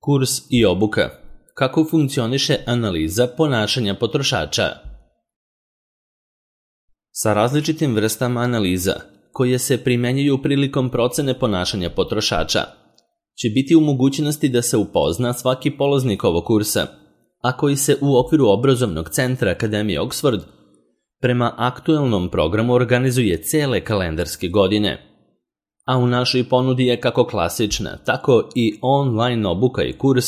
Kurs i obuka. Kako funkcioniše analiza ponašanja potrošača? Sa različitim vrstama analiza, koje se primenjuju prilikom procene ponašanja potrošača, će biti u mogućnosti da se upozna svaki polaznik ovog kursa, a koji se u okviru obrazovnog centra Akademije Oxford prema aktuelnom programu organizuje cele kalendarske godine. A u našoj ponudi je kako klasična, tako i online obuka i kurs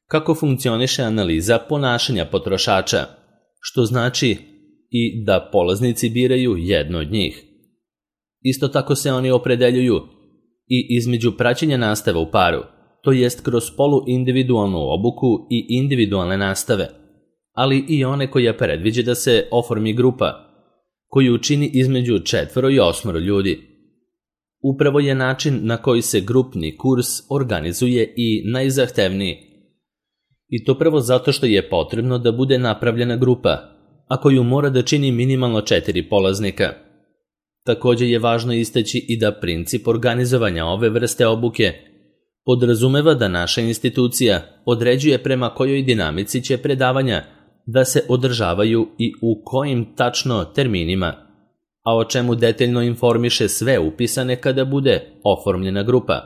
kako funkcioniše analiza ponašanja potrošača, što znači i da polaznici biraju jedno od njih. Isto tako se oni opredeljuju i između praćenja nastave u paru, to jest kroz poluindividualnu obuku i individualne nastave, ali i one koja predviđa da se oformi grupa, koju čini između 4 i 8 ljudi. Upravo je način na koji se grupni kurs organizuje i najzahtevniji. I to prvo zato što je potrebno da bude napravljena grupa, a koju mora da čini minimalno 4 polaznika. Također je važno istaći i da princip organizovanja ove vrste obuke podrazumeva da naša institucija određuje prema kojoj dinamici će predavanja da se održavaju i u kojim tačno terminima, a o čemu detaljno informiše sve upisane kada bude oformljena grupa.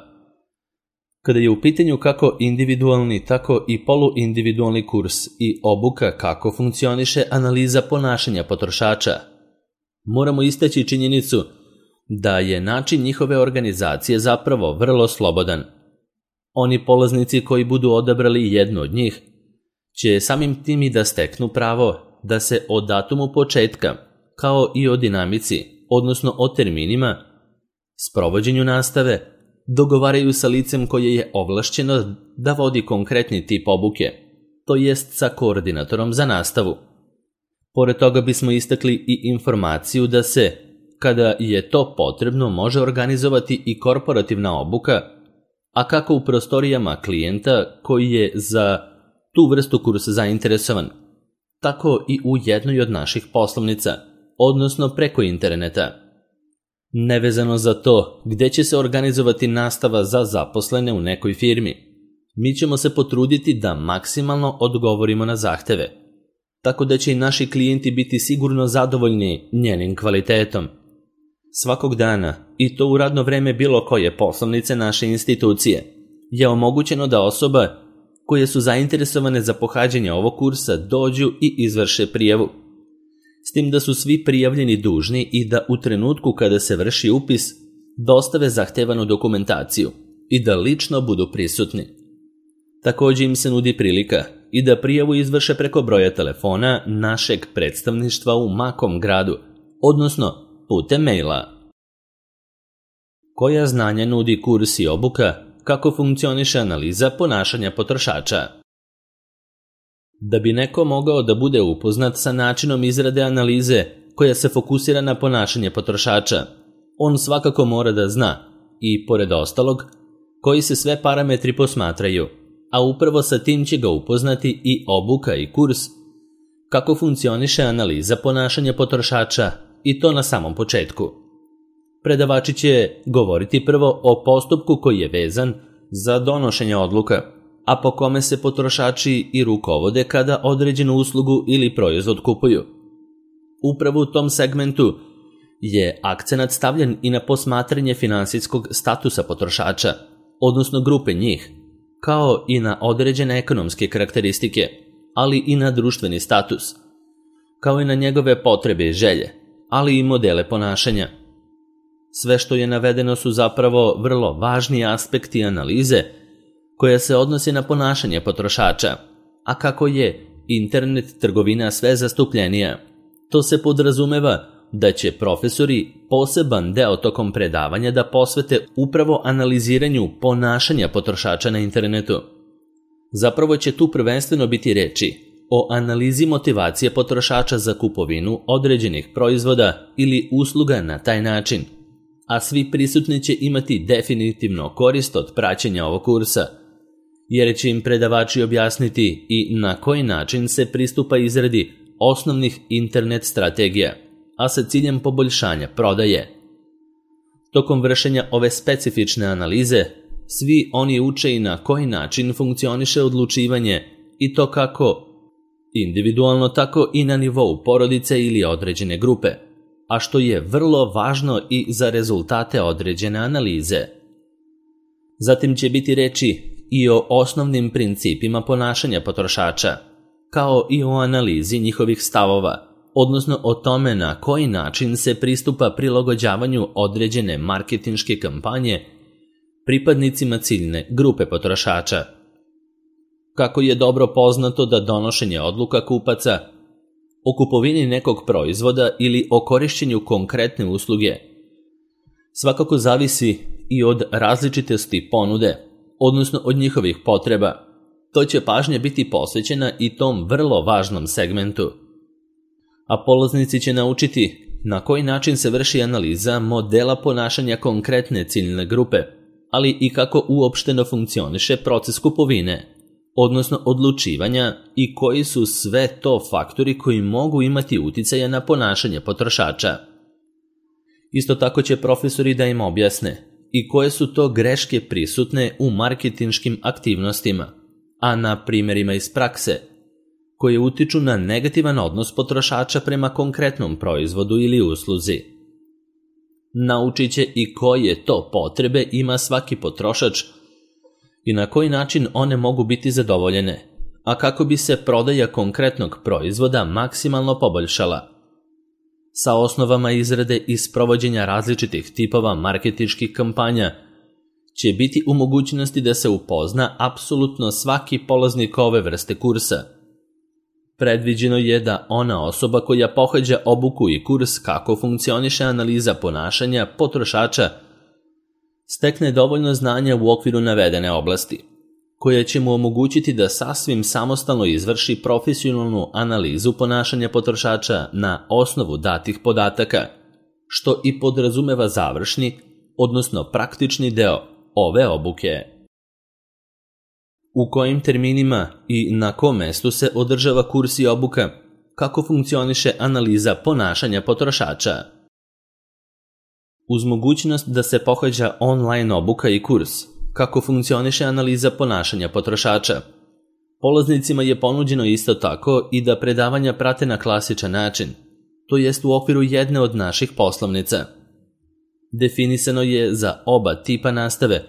Kada je u pitanju kako individualni, tako i poluindividualni kurs i obuka kako funkcioniše analiza ponašanja potrošača, moramo istaći činjenicu da je način njihove organizacije zapravo vrlo slobodan. Oni polaznici koji budu odabrali jednu od njih će samim tim i da steknu pravo da se o datumu početka, kao i o dinamici, odnosno o terminima, sprovođenju nastave, dogovaraju sa licem koje je ovlašćeno da vodi konkretni tip obuke, to jest sa koordinatorom za nastavu. Pored toga bismo istakli i informaciju da se, kada je to potrebno, može organizovati i korporativna obuka, a kako u prostorijama klijenta koji je za tu vrstu kursa zainteresovan, tako i u jednoj od naših poslovnica, odnosno preko interneta. Nevezano za to gde će se organizovati nastava za zaposlene u nekoj firmi, mi ćemo se potruditi da maksimalno odgovorimo na zahteve, tako da će i naši klijenti biti sigurno zadovoljni njenim kvalitetom. Svakog dana, i to u radno vreme bilo koje poslovnice naše institucije, je omogućeno da osoba koje su zainteresovane za pohađanje ovog kursa dođu i izvrše prijavu. S tim da su svi prijavljeni dužni i da u trenutku kada se vrši upis dostave zahtevanu dokumentaciju i da lično budu prisutni. Također im se nudi prilika i da prijavu izvrše preko broja telefona našeg predstavništva u makom gradu, odnosno putem maila. Koja znanja nudi kurs i obuka kako funkcioniše analiza ponašanja potrošača? Da bi neko mogao da bude upoznat sa načinom izrade analize koja se fokusira na ponašanje potrošača, on svakako mora da zna i, pored ostalog, koji se sve parametri posmatraju, a upravo sa tim će ga upoznati i obuka i kurs kako funkcioniše analiza ponašanja potrošača, i to na samom početku. Predavači će govoriti prvo o postupku koji je vezan za donošenje odluka, a po kome se potrošači i rukovode kada određenu uslugu ili proizvod kupuju. Upravo u tom segmentu je akcenat stavljen i na posmatranje finansijskog statusa potrošača, odnosno grupe njih, kao i na određene ekonomske karakteristike, ali i na društveni status, kao i na njegove potrebe i želje, ali i modele ponašanja. Sve što je navedeno su zapravo vrlo važni aspekti analize koja se odnosi na ponašanje potrošača, a kako je internet trgovina sve zastupljenija, to se podrazumeva da će profesori poseban deo tokom predavanja da posvete upravo analiziranju ponašanja potrošača na internetu. Zapravo će tu prvenstveno biti reči o analizi motivacije potrošača za kupovinu određenih proizvoda ili usluga na taj način, a svi prisutni će imati definitivno korist od praćenja ovog kursa, jer će im predavači objasniti i na koji način se pristupa izradi osnovnih internet strategija, a sa ciljem poboljšanja prodaje. Tokom vršenja ove specifične analize, svi oni uče i na koji način funkcioniše odlučivanje i to kako individualno, tako i na nivou porodice ili određene grupe, a što je vrlo važno i za rezultate određene analize. Zatim će biti reči i o osnovnim principima ponašanja potrošača, kao i o analizi njihovih stavova, odnosno o tome na koji način se pristupa prilagođavanju određene marketinške kampanje pripadnicima ciljne grupe potrošača. Kako je dobro poznato da donošenje odluka kupaca o kupovini nekog proizvoda ili o korišćenju konkretne usluge svakako zavisi i od različitosti ponude, odnosno od njihovih potreba, to će pažnja biti posvećena i tom vrlo važnom segmentu. A polaznici će naučiti na koji način se vrši analiza modela ponašanja konkretne ciljne grupe, ali i kako uopšteno funkcioniše proces kupovine, odnosno odlučivanja i koji su sve to faktori koji mogu imati uticaja na ponašanje potrošača. Isto tako će profesori da im objasne i koje su to greške prisutne u marketinškim aktivnostima, a na primjerima iz prakse, koje utiču na negativan odnos potrošača prema konkretnom proizvodu ili usluzi. Naučit će i koje to potrebe ima svaki potrošač i na koji način one mogu biti zadovoljene, a kako bi se prodaja konkretnog proizvoda maksimalno poboljšala. Sa osnovama izrade i sprovođenja različitih tipova marketinških kampanja će biti u mogućnosti da se upozna apsolutno svaki polaznik ove vrste kursa. Predviđeno je da ona osoba koja pohađa obuku i kurs kako funkcioniše analiza ponašanja potrošača stekne dovoljno znanja u okviru navedene oblasti, koja će mu omogućiti da sasvim samostalno izvrši profesionalnu analizu ponašanja potrošača na osnovu datih podataka, što i podrazumeva završni, odnosno praktični deo ove obuke. U kojim terminima i na kom mestu se održava kurs i obuka, kako funkcioniše analiza ponašanja potrošača. Uz mogućnost da se pohađa online obuka i kurs, kako funkcioniše analiza ponašanja potrošača, polaznicima je ponuđeno isto tako i da predavanja prate na klasičan način, to jest u okviru jedne od naših poslovnica. Definisano je za oba tipa nastave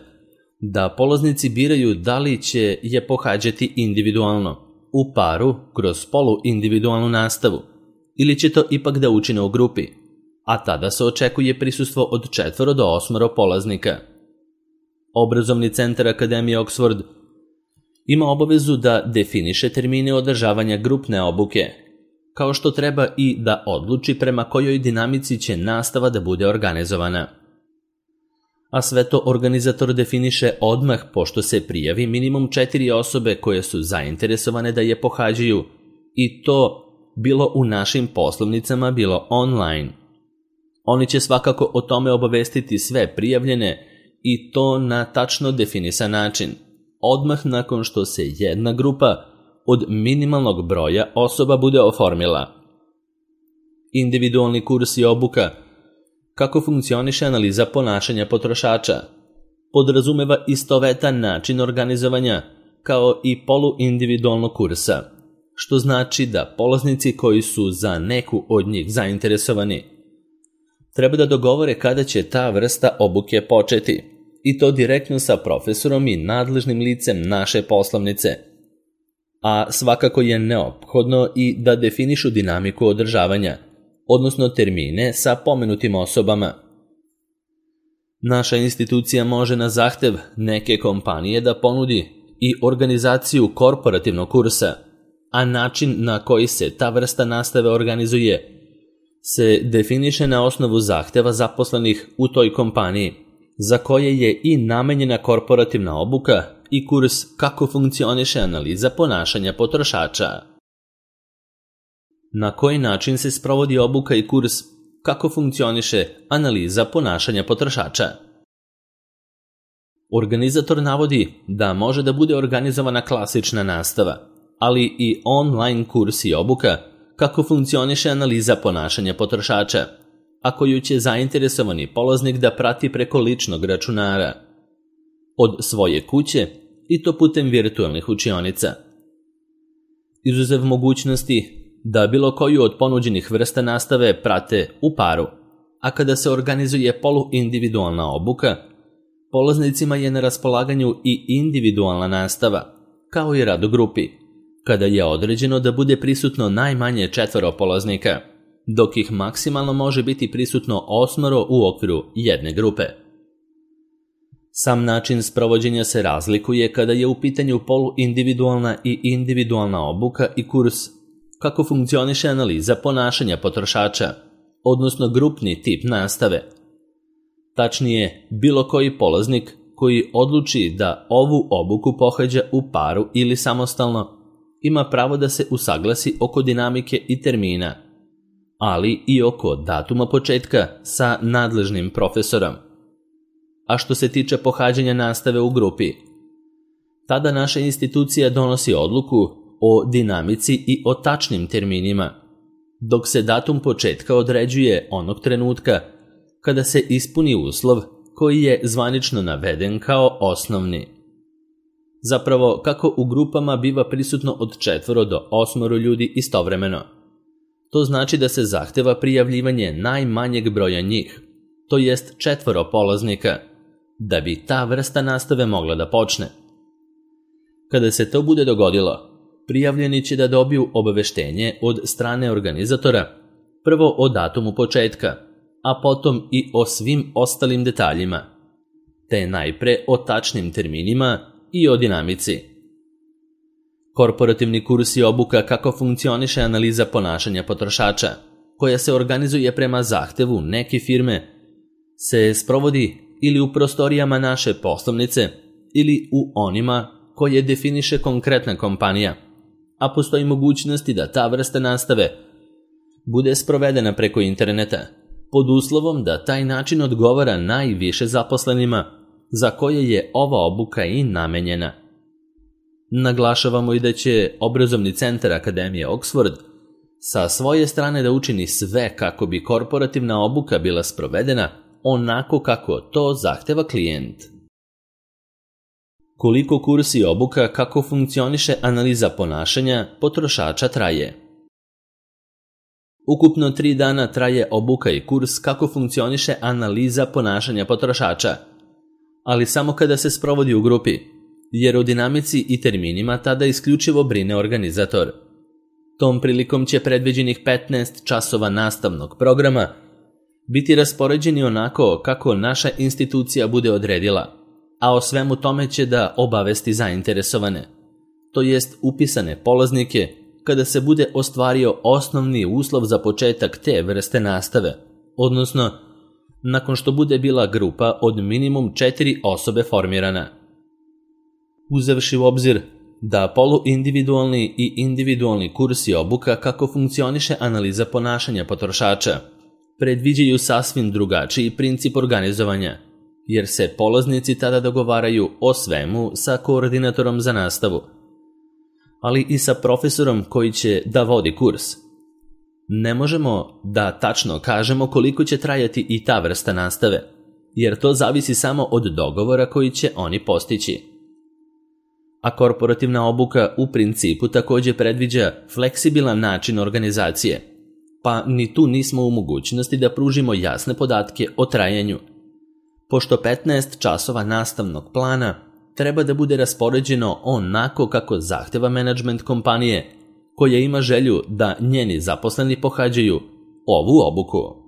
da polaznici biraju da li će je pohađati individualno, u paru, kroz poluindividualnu nastavu, ili će to ipak da učine u grupi, a tada se očekuje prisustvo od 4 do 8 polaznika. Obrazovni centar Akademije Oxford ima obavezu da definiše termine održavanja grupne obuke, kao što treba i da odluči prema kojoj dinamici će nastava da bude organizovana. A sve to organizator definiše odmah pošto se prijavi minimum 4 osobe koje su zainteresovane da je pohađaju, i to bilo u našim poslovnicama, bilo online. Oni će svakako o tome obavestiti sve prijavljene i to na tačno definisan način, odmah nakon što se jedna grupa od minimalnog broja osoba bude oformila. Individualni kurs i obuka, kako funkcioniše analiza ponašanja potrošača, podrazumeva istovetan način organizovanja kao i poluindividualnog kursa, što znači da polaznici koji su za neku od njih zainteresovani treba da dogovore kada će ta vrsta obuke početi, i to direktno sa profesorom i nadležnim licem naše poslovnice. A svakako je neophodno i da definišu dinamiku održavanja, odnosno termine sa pomenutim osobama. Naša institucija može na zahtev neke kompanije da ponudi i organizaciju korporativnog kursa, a način na koji se ta vrsta nastave organizuje se definiše na osnovu zahteva zaposlenih u toj kompaniji, za koje je i namenjena korporativna obuka i kurs kako funkcioniše analiza ponašanja potrošača. Na koji način se sprovodi obuka i kurs kako funkcioniše analiza ponašanja potrošača. Organizator navodi da može da bude organizovana klasična nastava, ali i online kurs i obuka kako funkcioniše analiza ponašanja potrošača, a koju će zainteresovani polaznik da prati preko ličnog računara. od svoje kuće i to putem virtualnih učionica. Izuzev mogućnosti da bilo koju od ponuđenih vrsta nastave prate u paru, a kada se organizuje poluindividualna obuka, polaznicima je na raspolaganju i individualna nastava, kao i rad u grupi, kada je određeno da bude prisutno najmanje 4 polaznika, dok ih maksimalno može biti prisutno 8 u okviru jedne grupe. Sam način sprovođenja se razlikuje kada je u pitanju poluindividualna i individualna obuka i kurs, kako funkcioniše analiza ponašanja potrošača, odnosno grupni tip nastave. Tačnije, bilo koji polaznik koji odluči da ovu obuku pohađa u paru ili samostalno, ima pravo da se usaglasi oko dinamike i termina, ali i oko datuma početka sa nadležnim profesorom. A što se tiče pohađanja nastave u grupi, tada naša institucija donosi odluku o dinamici i o tačnim terminima, dok se datum početka određuje onog trenutka kada se ispuni uslov koji je zvanično naveden kao osnovni. Zapravo, kako u grupama biva prisutno od 4 do 8 ljudi istovremeno. To znači da se zahteva prijavljivanje najmanjeg broja njih, to jest 4 polaznika, da bi ta vrsta nastave mogla da počne. Kada se to bude dogodilo, prijavljeni će da dobiju obaveštenje od strane organizatora, prvo o datumu početka, a potom i o svim ostalim detaljima, te najpre o tačnim terminima i o dinamici. Korporativni kurs je obuka kako funkcioniše analiza ponašanja potrošača, koja se organizuje prema zahtevu neke firme, se sprovodi ili u prostorijama naše poslovnice ili u onima koje definiše konkretna kompanija, a postoji mogućnosti da ta vrsta nastave bude sprovedena preko interneta, pod uslovom da taj način odgovara najviše zaposlenima za koje je ova obuka i namenjena. Naglašavamo i da će Obrazovni centar Akademije Oxford sa svoje strane da učini sve kako bi korporativna obuka bila sprovedena onako kako to zahteva klijent. Koliko kurs i obuka kako funkcioniše analiza ponašanja potrošača traje? Ukupno 3 dana traje obuka i kurs kako funkcioniše analiza ponašanja potrošača, ali samo kada se sprovodi u grupi, jer o dinamici i terminima tada isključivo brine organizator. Tom prilikom će predviđenih 15 časova nastavnog programa biti raspoređeni onako kako naša institucija bude odredila, a o svemu tome će da obavesti zainteresovane, to jest upisane polaznike, kada se bude ostvario osnovni uslov za početak te vrste nastave, odnosno nakon što bude bila grupa od minimum 4 osobe formirana. Uzevši u obzir da poluindividualni i individualni kurs i obuka kako funkcioniše analiza ponašanja potrošača predviđaju sasvim drugačiji princip organizovanja, jer se polaznici tada dogovaraju o svemu sa koordinatorom za nastavu, ali i sa profesorom koji će da vodi kurs. Ne možemo da tačno kažemo koliko će trajati i ta vrsta nastave, jer to zavisi samo od dogovora koji će oni postići. A korporativna obuka u principu također predviđa fleksibilan način organizacije, pa ni tu nismo u mogućnosti da pružimo jasne podatke o trajanju, pošto 15 časova nastavnog plana treba da bude raspoređeno onako kako zahteva menadžment kompanije koja ima želju da njeni zaposleni pohađaju ovu obuku.